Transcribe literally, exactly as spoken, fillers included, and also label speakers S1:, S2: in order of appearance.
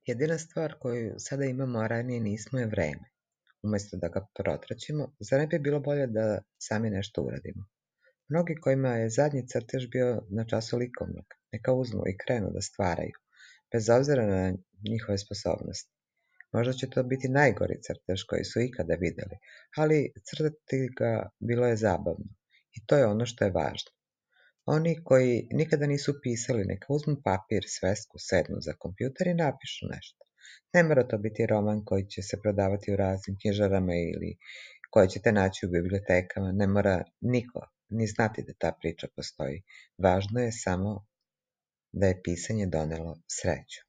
S1: Jedina stvar koju sada imamo, a ranije nismo, je vreme. Umjesto da ga protraćimo, zar ne bi bilo bolje da sami nešto uradimo? Mnogi kojima je zadnji crtež bio na času likovnog, neka uzmu i krenu da stvaraju, bez obzira na njihove sposobnosti. Možda će to biti najgori crtež koji su ikada videli, ali crtati ga bilo je zabavno. I to je ono što je važno. Oni koji nikada nisu pisali, neka uzmu papir, svesku, sednu za kompjuter i napišu nešto. Ne mora to biti roman koji će se prodavati u raznim knjižarama ili koji ćete naći u bibliotekama. Ne mora niko ni znati da ta priča postoji. Važno je samo da je pisanje donelo sreću.